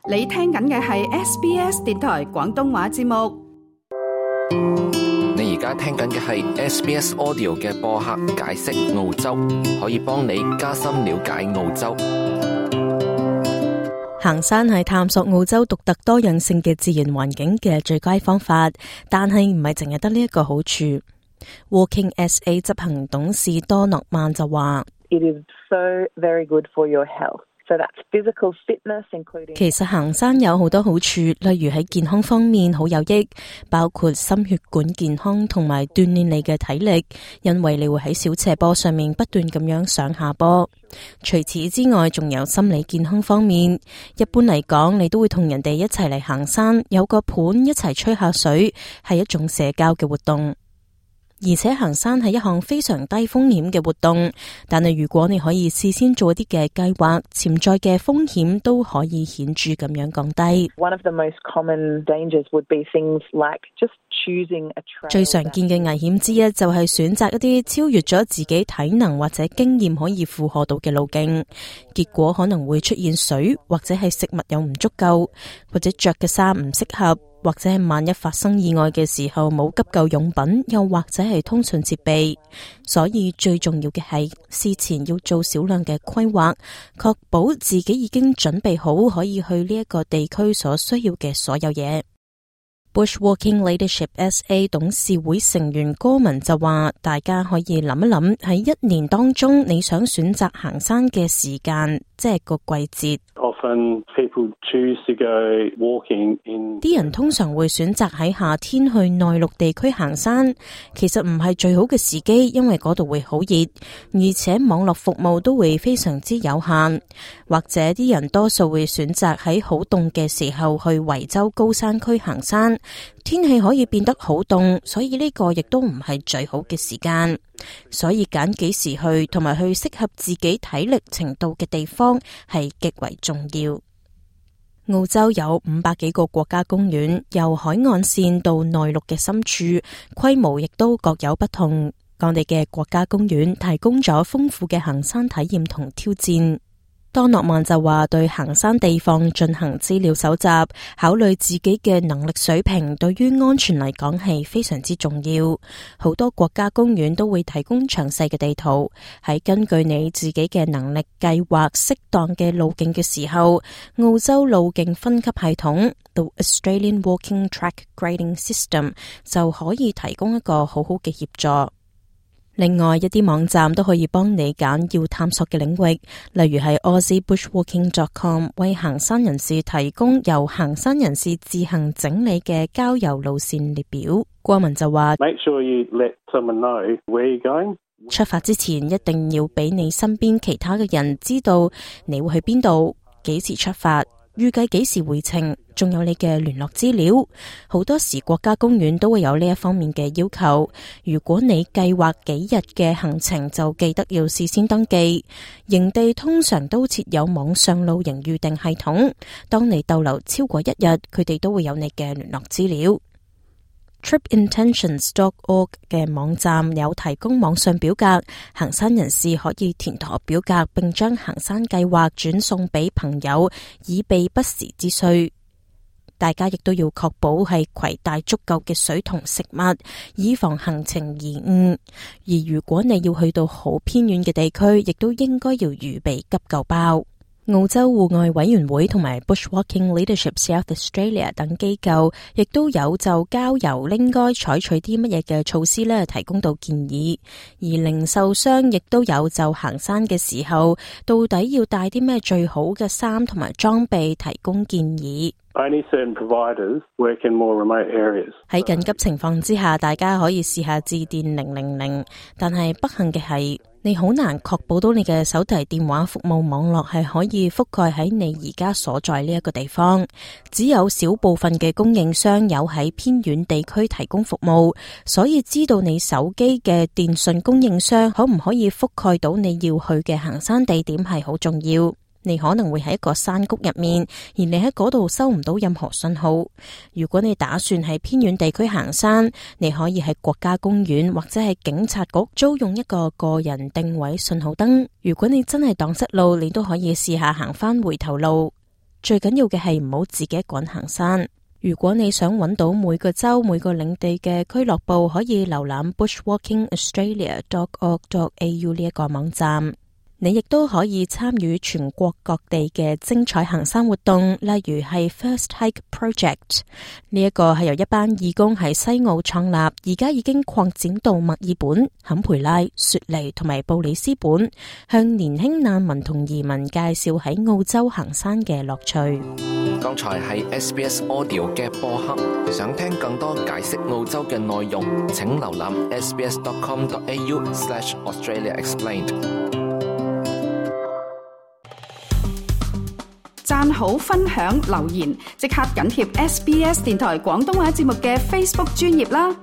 你聽緊嘅係 SBS 電台廣東話節目。你而家聽緊嘅係 SBS Audio 嘅播客解釋澳洲，可以幫你加深了解澳洲。行山係探索澳洲獨特多樣性嘅自然環境嘅最佳方法，但係唔係淨係得呢一個好處。Walking SA 執行董事多諾曼就話：It is so very good for your health. So that's physical fitness, including 其實行山有好多好處，例如喺健康方面好有益，包括心血管健康同埋鍛煉你嘅體力，因為你會喺小斜坡上面不斷咁樣上下坡。除此之外，仲有心理健康方面。一般嚟講，你都會同人哋一齊嚟行山，有個伴一齊吹下水，係一種社交嘅活動。而且行山係一項非常低風險嘅活動，但係如果你可以事先做一啲嘅計劃，潛在嘅風險都可以顯著咁樣降低。One of the most common dangers would be things like just choosing a trail. 最常見嘅危險之一就係選擇一啲超越咗自己體能或者經驗可以負荷到嘅路徑，結果可能會出現水或者係食物又唔足夠，或者着嘅衫唔適合。或者係萬一發生意外嘅時候冇急救用品，又或者係通訊設備，所以最重要嘅係事前要做少量嘅規劃，確保自己已經準備好可以去呢一個地區所需要嘅所有嘢。Bushwalking Leadership SA 董事會成員戈文就話，大家可以諗一諗喺一年當中你想選擇行山嘅時間，即係個季節。Often people choose to go walking in 啲人通常會選擇喺夏天去內陸地區行山，其實唔係最好嘅時機，因為嗰度會好熱，而且網絡服務都會非常之有限。或者啲人多數會選擇喺好凍嘅時候去維州高山區行山，天氣可以變得好凍，所以呢個亦都唔係最好嘅時間。所以揀幾時去同埋去適合自己體力程度嘅地方係極為重要。澳洲有500幾個國家公園，由海岸線到內陸嘅深處，規模亦都各有不同。我哋嘅國家公園提供咗豐富嘅行山體驗同挑戰。多諾曼就話，對行山地方進行資料搜集，考慮自己嘅能力水平，對於安全嚟講係非常之重要。好多國家公園都會提供詳細嘅地圖，喺根據你自己嘅能力計劃適當嘅路徑嘅時候，澳洲路徑分級系統 The Australian Walking Track Grading System 就可以提供一個好好嘅協助。另外一啲網站都可以幫你揀要探索嘅領域，例如係 AussieBushwalking.com 為行山人士提供由行山人士自行整理嘅郊遊路線列表。郭文就話 Make sure you let someone know where you're going. 出發之前一定要俾你身邊其他嘅人知道你會去邊度，幾時出發，預計幾時回程，仲有你嘅聯絡資料。好多時國家公園都會有呢一方面嘅要求。如果你計劃幾日嘅行程，就記得要事先登記。營地通常都設有網上露營預訂系統，當你逗留超過1日，佢哋都會有你嘅聯絡資料。tripintentions.org 嘅網站有提供網上表格，行山人士可以填妥表格，並將行山計劃轉送俾朋友，以備不時之需。大家亦都要確保係攜帶足夠嘅水同食物，以防行程延誤。而如果你要去到好偏遠嘅地區，亦都應該要預備急救包。澳洲戶外委員會同埋 Bushwalking Leadership South Australia 等機構亦都有就郊遊應該採取啲乜嘢嘅措施呢提供到建議，而零售商亦都有就行山嘅時候到底要帶啲咩最好嘅衫同埋裝備提供建議。Only certain providers work in more remote areas. 喺緊急情況之下，大家可以試下致電000，但係不幸嘅係，你好難確保到你嘅手提電話服務網絡係可以覆蓋喺你而家所在呢一個地方。只有少部分嘅供應商有喺偏遠地區提供服務，所以知道你手機嘅電信供應商可唔可以覆蓋到你要去嘅行山地點係好重要。你可能會喺一個山谷入面，而你喺嗰度收唔到任何信號。如果你打算喺偏遠地區行山，你可以喺國家公園或者係警察局租用一個個人定位信號燈。如果你真係蕩失路，你都可以試下行返回頭路。最緊要嘅係唔好自己一個人行山。如果你想揾到每個州每個領地嘅俱樂部，可以瀏覽 bushwalkingaustralia.org.au 呢一個網站。你亦都可以參與全國各地嘅精彩行山活動，例如係 First Hike Project， 呢一個係由一班義工喺西澳創立，而家已經擴展到墨爾本、坎培拉、雪梨同埋布里斯本，向年輕難民同移民介紹喺澳洲行山嘅樂趣。剛才係 SBS Audio 嘅播客，想聽更多解釋澳洲嘅內容，請瀏覽 sbs.com.au/AustraliaExplained。讚好、分享、留言，即刻緊貼SBS 電台廣東話節目嘅 Facebook 專頁啦！